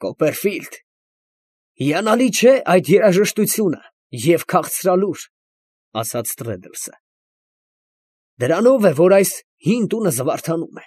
Կոպերֆիլդ, հիանալի չէ այդ երաժշտությունը և քաղցրալուր, ասաց Տրեդլսը. դրանով է, որ այս հին տունը զվարթանում է.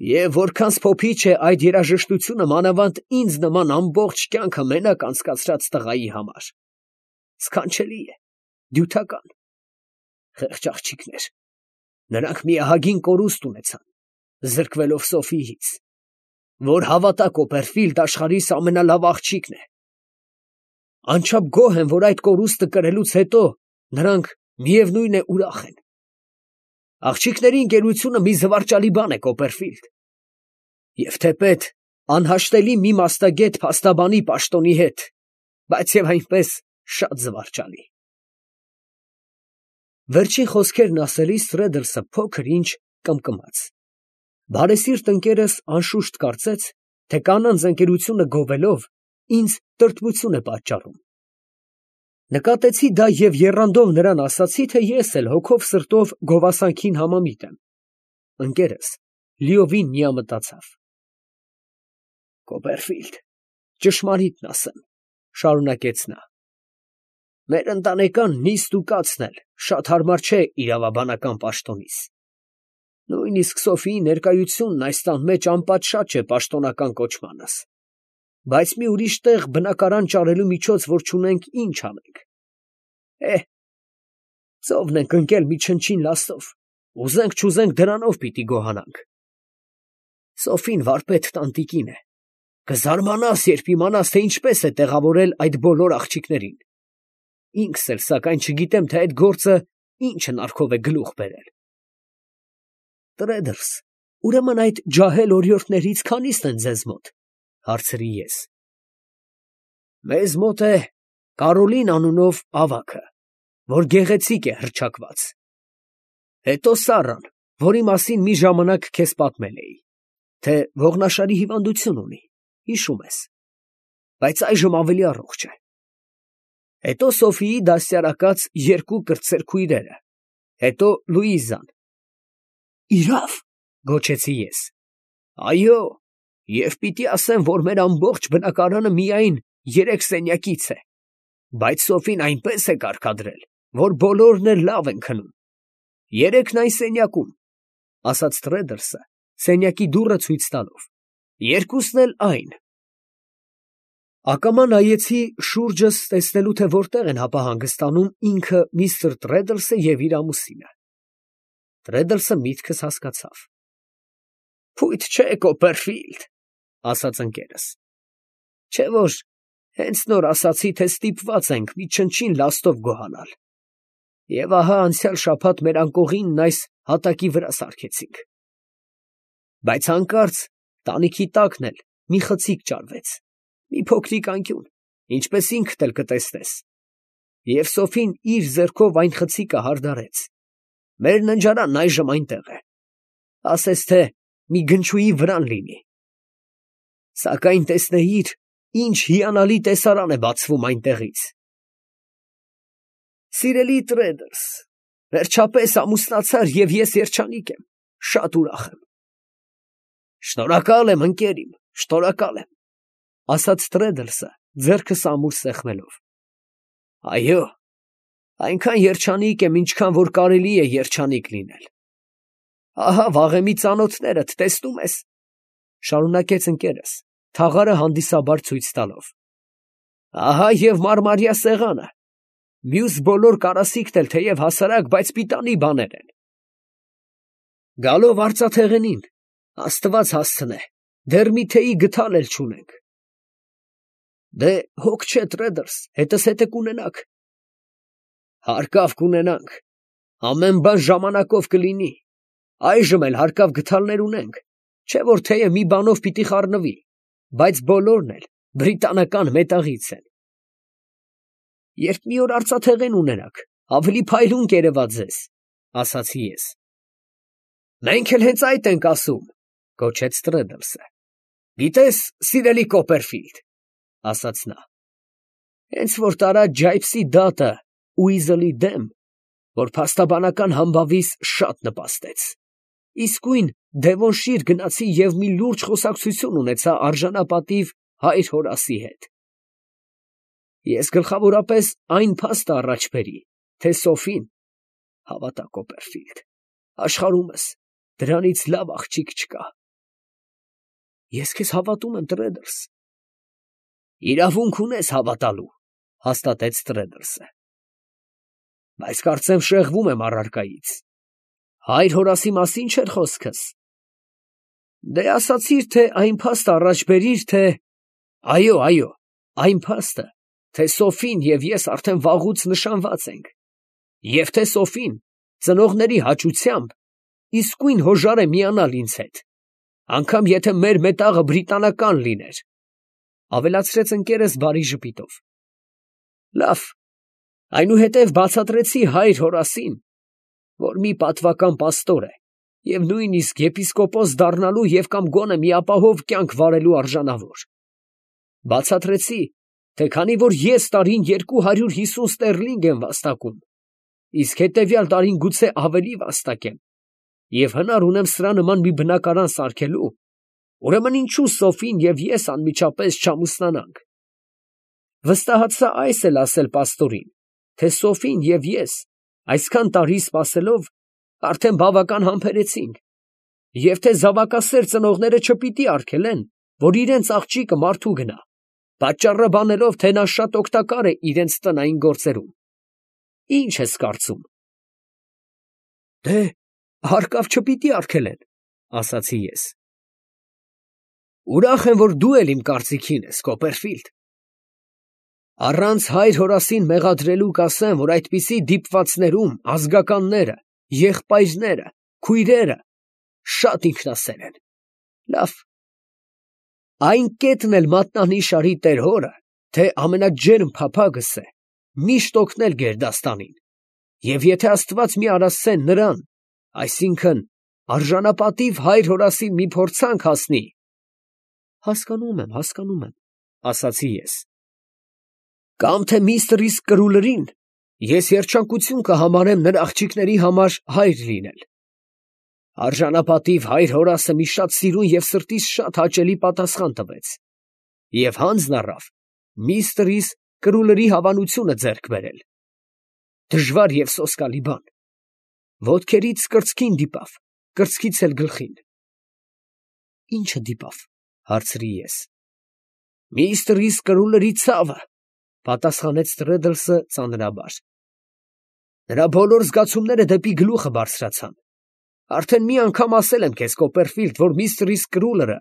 և որքան սփոփիչ է այդ երաժշտությունը մանավանդ ինձ նման ամբողջ կյանքը մենակ անցկացրած տղայի համար. սքանչելի է, դյութական, խեղճ աղջիկներ, նրանք մի ահագին կորուստ ունեցան, զրկվելով Սոֆիից, որ հավատա Կոպերֆիլդ աշխարհիս ամենալավ աղջիկն է. անչափ գոհ եմ, որ այդ կորուստը կրելուց հետո նրանք միևնույն է ուրախ են. աղջիկների ընկերությունը մի զվարճալի բան է, Կոպերֆիլդ, և թեպետ անհաշտելի մի մասնագետ փաստաբանի պաշտոնի հետ, բայց և այնպես շատ զվարճալի։ Վերջին խոսքերն ասելիս Տրեդլսը փոքր ինչ կմկմաց։ Բարեսիրտ ընկերս անշուշտ կարծեց, թե կանանց ընկերությունը գովելով ինձ տրտմություն է պատճառում։ Նկատեցի դա և եռանդով նրան ասացի, թե ես էլ հոգով սրտով գովասանքին համամիտ եմ։ Ընկերս լիովին միամտացավ։ Կոպերֆիլդ, ճշմարիտն ասեմ, շարունակեց նա, մեր ընտանեկան նիստ ու կացն էլ շատ հարմար չէ իրավաբանական պաշտոնիս։ Նույնիսկ Սոֆիի ներկայությունն այս տան մեջ անպատշաճ է պաշտոնական կոչմանս, բայց մի ուրիշ տեղ բնակարան ճարելու միջոց որ չունենք, ինչ անենք։ Ծովն ենք ընկել մի չնչին լաստով, ուզենք չուզենք դրանով պիտի գոհանանք։ Սոֆին վարպետ տանտիկին է, կզարմանաս, երբ իմանաս, թե ինչպես է տեղավորել այդ բոլոր աղջիկներին։ Ինքս էլ սակայն չգիտեմ, թե այդ գործը ինչ հնարքով է գլուխ բերել։ Տրեդլս, ուրեմն այդ ջահել օրիորդներից քանի՞ստ են ձեզ մոտ, հարցրի ես։ Մեզ մոտ է Կարոլին անունով ավագը, որ գեղեցիկ է հռչակված, հետո Սառան, որի մասին մի ժամանակ քեզ պատմել էի, թե ողնաշարի հիվանդություն ունի, հիշում ես, բայց այժմ ավելի առողջ է, հետո Սոֆիի դաստիարակած երկու կրտսեր քույրերը, հետո Լուիզան։ Իրավ, գոչեցի ես, այո, և պիտի ասեմ, որ մեր ամբողջ բնակարանը միայն 3 սենյակից է, բայց Սոֆին այնպես է կարգադրել, որ բոլորն էլ լավ են քնում։ 3-ն այն սենյակում, ասաց Տրեդլսը, սենյակի դուռը ցույց տալով, 2-ն էլ այն։ Ակամա նայեցի շուրջս տեսնելու, թե որտեղ են հապա հանգստանում ինքը միստր Տրեդլսը և իր ամուսինը։ Տրեդլսը միտքս հասկացավ։ Փույթ չէ, Կոպերֆիլդ, ասաց ընկերս, չէ որ հենց նոր ասացի, թե ստիպված ենք մի չնչին լաստով գոհանալ, և ահա անցյալ շաբաթ մեր անկողինն այս հատակի վրա սարքեցինք։ Բայց հանկարծ տանիքի տակն էլ մի խցիկ ճարվեց, մի փոքրիկ անկյուն, ինչպես ինքդ էլ կտեսնես, և Սոֆին իր ձեռքով այն խցիկը հարդարեց։ Մեր ննջարանն այժմ այնտեղ է, ասես թե մի գնչուի վրան լինի։ Սակայն տեսնեիր, ինչ հիանալի տեսարան է բացվում այնտեղից։ Սիրելի Տրեդլս, վերջապես ամուսնացար և ես երջանիկ եմ, շատ ուրախ եմ։ Շնորհակալ եմ, ընկեր իմ, շնորհակալ եմ, ասաց Տրեդլսը, ձեռքս ամուր սեղմելով։ Այո, այնքան երջանիկ եմ, ինչքան որ կարելի է երջանիկ լինել։ Ահա վաղեմի ծանոթներդ, տեսնում ես, շարունակեց ընկերս, թաղարը հանդիսաբար ցույց տալով։ Ահա և մարմարյա սեղանը, մյուս բոլոր կարասիքն էլ թեև հասարակ, բայց պիտանի բաներ են։ Գալով արծաթեղենին, Աստված հասցնե, դեռ մի թեյի գդալ էլ չունենք։ Դե հոգ չէ, Տրեդլս, հետզհետե կունենաք։ Հարկավ կունենանք, ամեն բան ժամանակով կլինի, այժմ էլ հարկավ գդալներ ունենք, չէ որ թեյը մի բանով պիտի խառնվի, բայց բոլորն էլ բրիտանական մետաղից են։ Երբ մի օր արծաթեղեն ունենաք, ավելի փայլուն կերևա ձեզ, ասացի ես։ Մենք էլ հենց այդ ենք ասում, գոչեց Տրեդլսը։ Գիտես, սիրելի Կոպերֆիլդ, ասաց նա, հենց որ տարա Ջայփսի դատը Ուիզլի դեմ, որ փաստաբանական համբավիս շատ նպաստեց, իսկույն Դևոնշիր գնացի և մի լուրջ խոսակցություն ունեցա արժանապատիվ հայր Հորասի հետ։ Ես գլխավորապես այն փաստը առաջ բերի, թե Սոֆին, հավատա Կոպերֆիլդ, աշխարհումս դրանից լավ աղջիկ չկա։ Ես քեզ հավատում եմ, Տրեդլս։ Իրավունք ունես հավատալու, հաստատեց Տրեդլսը։ Բայց կարծեմ շեղվում եմ առարկայից։ Հայր Հորասի մասին չէր խոսքս։ Դե ասացիր, թե այն փաստը առաջ բերիր, թե… Այո, այն փաստը, թե Սոֆին և ես արդեն վաղուց նշանված ենք, և թե Սոֆին ծնողների հաճությամբ իսկույն հոժար է միանալ ինձ հետ, անգամ եթե մեր մետաղը բրիտանական լիներ, ավելացրեց ընկերս բարի ժպիտով։ Լավ, այնուհետև բացատրեցի հայր Հորասին, որ մի պատվական պաստոր է և նույնիսկ եպիսկոպոս դառնալու և կամ գոնե մի ապահով կյանք վարելու արժանավոր։ Բացատրեցի, թե քանի որ ես տարին 250 ստերլինգ եմ վաստակում, իսկ հետևյալ տարին գուցե ավելի վաստակեմ, և հնար ունեմ սրա նման մի բնակարան սարքելու, ուրեմն ինչո՞ւ Սոֆին և ես անմիջապես չամուսնանանք։ Վստահացա այս էլ ասել պաստորին, թե Սոֆին և ես այսքան տարի սպասելով արդեն բավական համբերեցինք, և թե զավակասեր ծնողները չպիտի արգելեն, որ իրենց աղջիկը մարդու գնա, պատճառը բանելով, թե նա շատ օգտակար է իրենց տնային գործերում։ Ի՞նչ ես կարծում։ Դե, հարկավ չպիտի արգելեն, ասացի ես։ Ուրախ եմ, որ դու էլ իմ կարծիքին ես, Կոպերֆիլդ։ Առանց հայր Հորասին մեղադրելու կասեմ, որ այդպիսի դիպվածներում ազգականները, եղբայրները, քույրերը շատ ինքնասեր են։ Լավ, այն կետն էլ մատնանիշարի տեր հորը, թե ամենաջերմ փափագս է միշտ օգնել գերդաստանին, և եթե Աստված մի առասցեն նրան, այսինքն արժանապատիվ հայր Հորասին մի փորձանք հասնի… Հասկանում եմ, ասացի ես։ Կամ թե միստր Իսկրուլերին, ես երջանկություն կհամարեմ նրա աղջիկների համար հայր լինել։ Արժանապատիվ հայր Հորասը մի շատ սիրուն և սրտիս շատ հաճելի պատասխան տվեց և հանձն առավ միստր Իսկրուլերի հավանությունը ձեռք բերել։ Դժվար և սոսկալի բան։ Ոտքերից կրծքին դիպավ, կրծքից էլ գլխին։ Ի՞նչը դիպավ, հարցրի ես։ Միստր Իսկրուլերի ցավը, պատասխանեց Տրեդլսը ծանրաբար։ Նրա բոլոր զգացումները դեպի գլուխը բարձրացան։ Արդեն մի անգամ ասել եմ քեզ, Կոպերֆիլդ, որ միստր Իսկրուլերը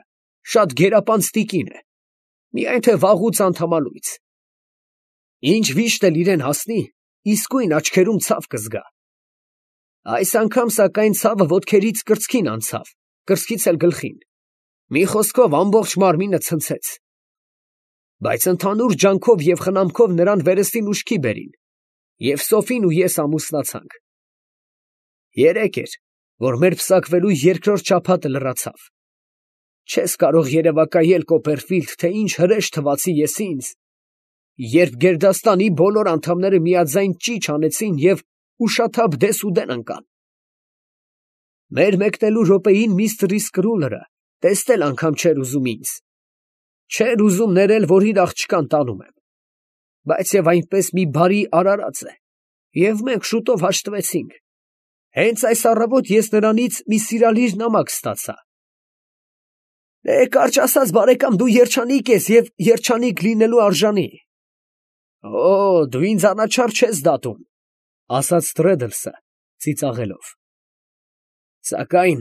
շատ գերապանծ տիկին է, միայն թե վաղուց անդամալույց։ Ինչ վիշտ էլ իրեն հասնի, իսկույն աչքերում ցավ կզգա։ Այս անգամ, սակայն, ցավը ոտքերից կրծքին անցավ, կրծքից էլ գլխին։ Մի խոսքով ամբողջ մարմինը ցնցեց։ Բայց ընդհանուր ջանքով և խնամքով նրան վերստին ուշքի բերին, և Սոֆին ու ես ամուսնացանք։ Երեկ էր, որ մեր պսակվելու երկրորդ շաբաթը լրացավ։ Չես կարող երևակայել, Կոպերֆիլդ, թե ինչ հրեշ թվացի ես ինձ, երբ գերդաստանի բոլոր անդամները միաձայն ճիչ անեցին և ուշաթափ դեսուդեն ընկան։ Մեր մեկնելու րոպեին միստր Իսկրուլերը տեսնել անգամ չէր ուզում ինձ։ Չէր ուզում ներել, որ իր աղջկան տանում եմ։ Բայց և այնպես մի բարի արարած է, և մենք շուտով հաշտվեցինք։ Հենց այս առավոտ ես նրանից մի սիրալիր նամակ ստացա։ Կարճ ասած, բարեկամ, դու երջանիկ ես և երջանիկ լինելու արժանի։ Օ, դու ինձ անաչառ չես դատում, ասաց Տրեդլսը ծիծաղելով։ Սակայն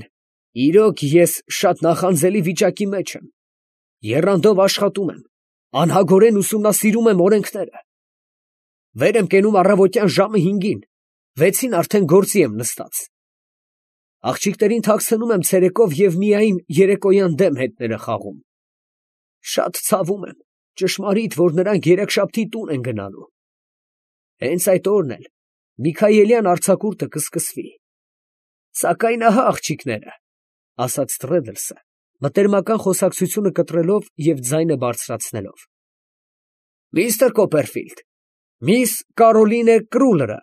իրոք ես շատ նախանձելի վիճակի մեջ եմ, եռանդով աշխատում եմ, անհագորեն ուսումնասիրում եմ օրենքները։ Վեր եմ կենում առավոտյան ժամը 5-ին, 6-ին արդեն գործի եմ նստած։ Աղջիկներին թաքցնում եմ ցերեկով և միայն երեկոյան դեմ հետները խաղում։ Շատ ցավում եմ, ճշմարիտ, որ նրանք երեքշաբթի տուն են գնալու։ Հենց այդ օրն էլ Միքայելյան արձակուրդը կսկսվի։ Սակայն ահա աղջիկները, ասաց Տրեդլսը, մտերմական խոսակցությունը կտրելով և ձայնը բարձրացնելով։ Միստր Կոպերֆիլդ, միս Կարոլինե Կրուլերը,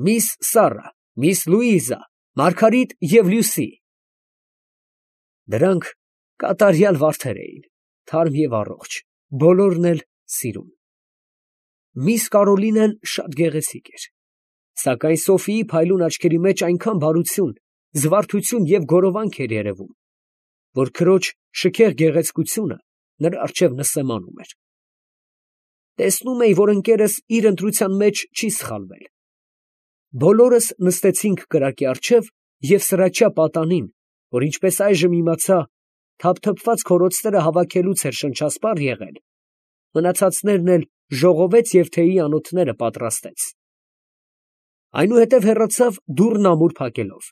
միս Սառա, միս Լուիզա, Մարգարիտ և Լյուսի։ Դրանք կատարյալ վարդեր էին, թարմ և առողջ, բոլորն էլ սիրում։ Միս Կարոլինեն շատ գեղեցիկ էր, սակայն Սոֆիի փայլուն աչքերի մեջ այնքան բարություն, զվարթություն և գորովանք էր երևում, որ քրոջ շքեղ գեղեցկությունը նրա առջև նսեմանում էր։ Տեսնում էի, որ ընկերս իր ընտրության մեջ չի սխալվել։ Բոլորս նստեցինք կրակի առջև և սրաչյա պատանին, որ ինչպես այժմ իմացա, թափթփված քորոցները հավաքելուց էր շնչասպառ եղել, մնացածներն էլ ժողովեց և թեյի անոթները պատրաստեց։ Այնուհետև հեռացավ դուռն ամուր փակելով։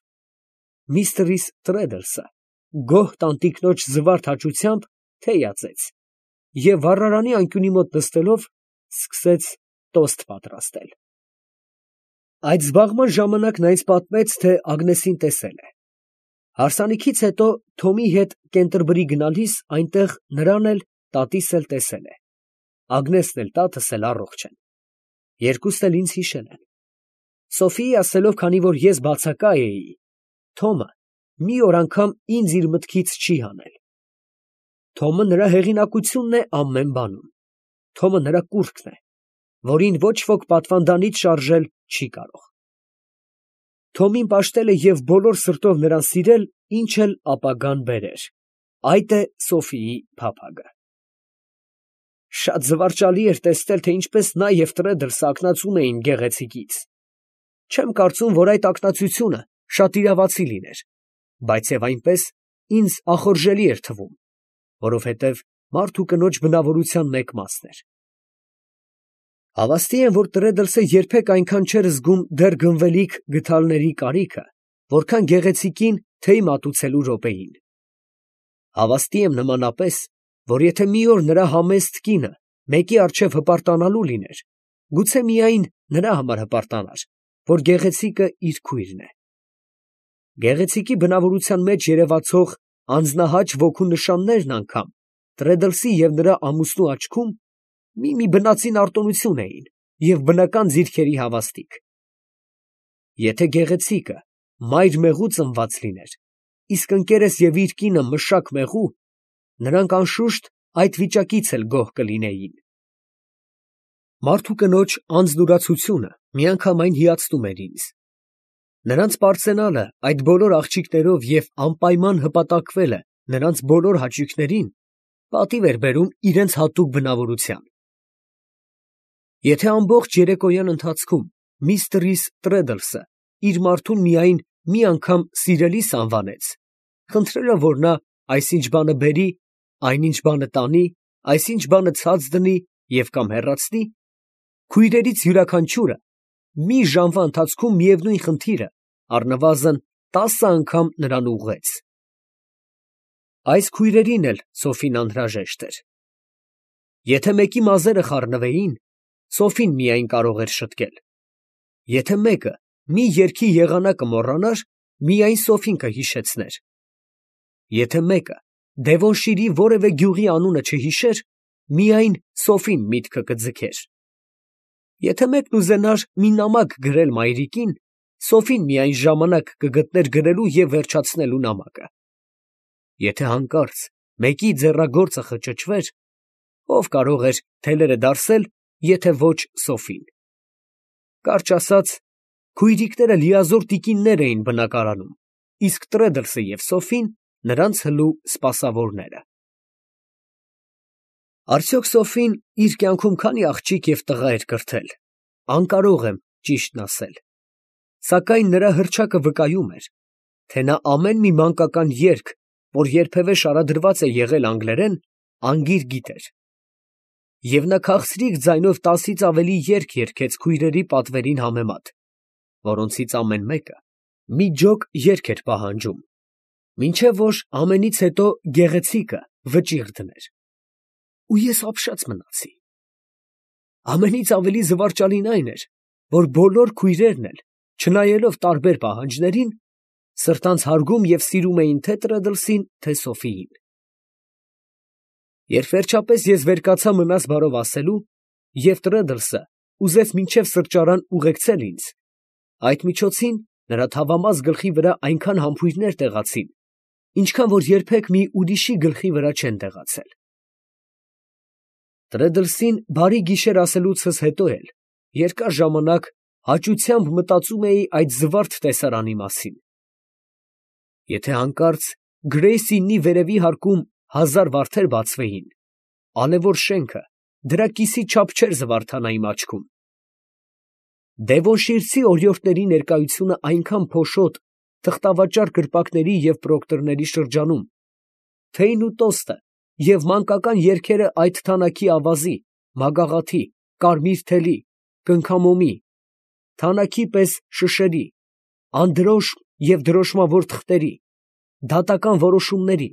Միստրիս Տրեդլսը գոհ տանտիկնոջ զվարթ հաճությամբ թեյ ածեց և վառարանի անկյունի մոտ նստելով սկսեց տոստ պատրաստել։ Այդ զբաղման ժամանակ նա ինձ պատմեց, թե Ագնեսին տեսել է։ Հարսանիքից հետո Թոմի հետ Կենտերբրի գնալիս այնտեղ նրան էլ, տատիս էլ տեսել է։ Ագնեսն էլ տատս էլ առողջ են։ Երկուսն էլ ինձ հիշել են։ Սոֆիի ասելով, քանի որ ես բացակա էի, Թոմը մի օր անգամ ինձ իր մտքից չի հանել։ Թոմը նրա հեղինակությունն է ամեն բանում։ Թոմը նրա կուռքն է, որին ոչ ոք պատվանդանից շարժել չի կարող։ Թոմին պաշտել է և բոլոր սրտով նրան սիրել, ինչ էլ ապագան բերեր։ Այդ է Սոֆիի փափագը։ Շատ զվարճալի էր տեսնել, թե ինչպես նա և Տրեդլսը ակնածում էին գեղեցիկից։ Չեմ կարծում, որ այդ ակնածությունը շատ իրավացի լիներ, բայց և այնպես ինձ ախորժելի էր թվում, որովհետև մարդ ու կնոջ բնավորության մեկ մասն էր։ Հավաստի եմ, որ Տրեդլսը երբեք այնքան չէր զգում դեռ գնվելիք գդալների կարիքը, որքան գեղեցիկին թեյ մատուցելու րոպեին։ Հավաստի եմ նմանապես, որ եթե մի օր նրա համեստ կինը մեկի առջև հպարտանալու լիներ, գուցե միայն նրա համար հպարտանար, որ գեղեցիկը իր քույրն է։ Գեղեցիկի բնավորության մեջ երևացող անձնահաճ ոգու նշաններն անգամ Տրեդլսի և նրա ամուսնու աչքում մի բնածին արտոնություն էին և բնական ձիրքերի հավաստիք։ Եթե գեղեցիկը մայր մեղու ծնված լիներ, իսկ ընկերս և իր կինը մշակ մեղու, նրանք անշուշտ այդ վիճակից էլ գոհ կլինեին։ Մարդ ու կնոջ անձնուրացությունը միանգամայն հիացնում էր ինձ։ Նրանց պարծենալը այդ բոլոր աղջիկներով և անպայման հպատակվելը նրանց բոլոր հաճույքներին պատիվ էր բերում իրենց հատուկ բնավորության։ Եթե ամբողջ երեկոյան ընթացքում միստրիս Տրեդլսը իր մարդուն միայն մի անգամ սիրելիս անվանեց, խնդրելով, որ նա այսինչ բանը բերի, այնինչ բանը տանի, այսինչ բանը ցած դնի և կամ հեռացնի, քույրերից յուրաքանչյուրը մի ժամվա ընթացքում միևնույն խնդիրը առնվազն 10 անգամ նրան ուղղեց։ Այս քույրերին էլ Սոֆին անհրաժեշտ էր։ Եթե մեկի մազերը խառնվեին, Սոֆին միայն կարող էր շտկել։ Եթե մեկը մի երգի եղանակը մոռանար, միայն Սոֆին կհիշեցներ։ Եթե մեկը Դևոնշիրի որևէ գյուղի անունը չհիշեր, միայն Սոֆին միտքը կձգեր։ Եթե մեկն ուզենար մի նամակ գրել մայրիկին, Սոֆին միայն ժամանակ կգտներ գրելու և վերջացնելու նամակը։ Եթե հանկարծ մեկի ձեռագործը խճճվեր, ով կարող էր թելերը դարսել, եթե ոչ Սոֆին։ Կարճ ասած, քույրիկները լիազոր տիկիններ էին բնակարանում, իսկ Տրեդլսը և Սոֆին նրանց հլու սպասավորները։ Արդյոք Սոֆին իր կյանքում քանի աղջիկ և տղա էր կրթել, անկարող եմ ճիշտն ասել, սակայն նրա հռչակը վկայում էր, թե նա ամեն մի մանկական երգ, որ երբևէ շարադրված է եղել անգլերեն, անգիր գիտեր։ Եվ նա քաղցրիկ ձայնով 10-ից ավելի երգ երգեց քույրերի պատվերին համեմատ, որոնցից ամեն մեկը մի ջոկ երգ էր պահանջում, մինչև որ ամենից հետո գեղեցիկը վճիռ դներ։ Ու ես ապշած մնացի։ Ամենից ավելի զվարճալին այն էր, որ բոլոր քույրերն էլ, չնայելով տարբեր պահանջներին, սրտանց հարգում և սիրում էին թե Տրեդլսին, թե Սոֆիին։ Երբ վերջապես ես վեր կացա մնաս բարով ասելու, և Տրեդլսը ուզեց մինչև սրճարան ուղեկցել ինձ, այդ միջոցին նրա թավամաս գլխի վրա այնքան համբույրներ տեղացին, ինչքան որ երբեք մի ուրիշի գլխի վրա չեն տեղացել։ Տրեդլսին բարի գիշեր ասելուցս հետո էլ երկար ժամանակ հաճությամբ մտածում էի այդ զվարթ տեսարանի մասին. եթե հանկարծ Գրեյսինի վերևի հարկում 1000 վարդեր բացվեին, ալևոր շենքը դրա կիսի չափ չէր զվարթանա իմ աչքում։ Դևոնշիրցի օրիորդների ներկայությունը այնքան փոշոտ, թղթավաճառ կրպակների և պրոկտորների շրջանում, թեյն ու տոստը և մանկական երգերը այդ թանաքի ավազի, մագաղաթի, կարմիր թելի, կնքամոմի, թանաքի պես շշերի, անդրոշմ և դրոշմավոր թղթերի, դատական որոշումների,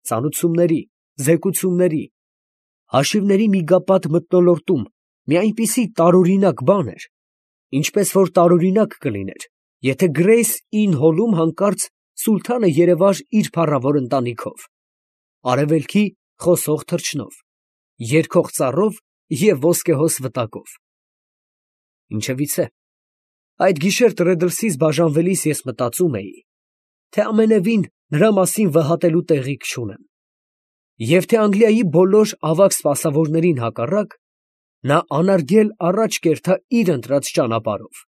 ծանուցումների, զեկուցումների, հաշիվների միգապատ մթնոլորտում մի այնպիսի տարօրինակ բան էր, ինչպես որ տարօրինակ կլիներ, եթե Գրեյս Ինն հոլում հանկարծ սուլթանը երևար իր փառավոր ընտանիքով, արևելքի խոսող թռչնով, երգող ծառով և ոսկեհոս վտակով։ Ինչևիցե, այդ գիշեր Տրեդլսից բաժանվելիս ես մտածում էի, թե ամենևին նրա մասին վհատելու տեղիք չունեմ, և թե Անգլիայի բոլոր ավագ սպասավորներին հակառակ, նա անարգել առաջ կերտա իր ընտրած ճանապարհով։